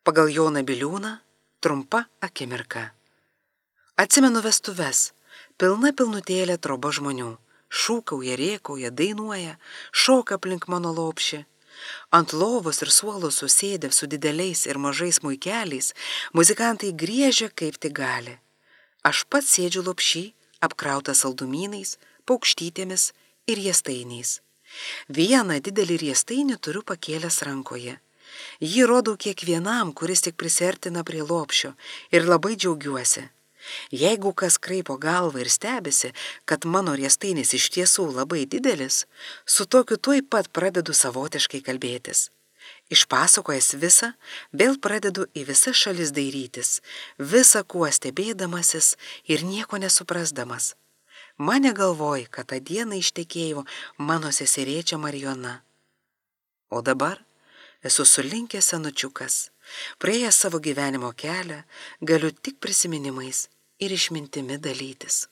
Pagal Joną Biliūną trumpa akimirka. Atsimenu vestuves, pilnutėlė troba žmonių. Šūkauja, rėkauja, dainuoja, šoka aplink mano lopšį. Ant lovos ir suolo susėdę su dideliais ir mažais muikeliais, muzikantai griežia kaip tik gali. Aš pats sėdžiu lopšį, apkrautas saldumynais, paukštytėmis ir riestainiais. Vieną didelį riestainį turiu pakėlęs rankoje. Jį rodau kiekvienam, kuris tik prisiartina prie lopšio, ir labai džiaugiuosi. Jeigu kas kraipo galvą ir stebisi, kad mano riestainis iš tiesų labai didelis, su tokiu tuoj pat pradedu savotiškai kalbėtis. Išpasakojęs visą, vėl pradedu į visas šalis dairytis, visą kuo stebėdamasis ir nieko nesuprasdamas. Mane galvoj, kad tą dieną ištekėjo mano seserėčia Marijona. O dabar esu sulinkęs senučiukas, praėjęs savo gyvenimo kelią, galiu tik prisiminimais ir išmintimi dalytis.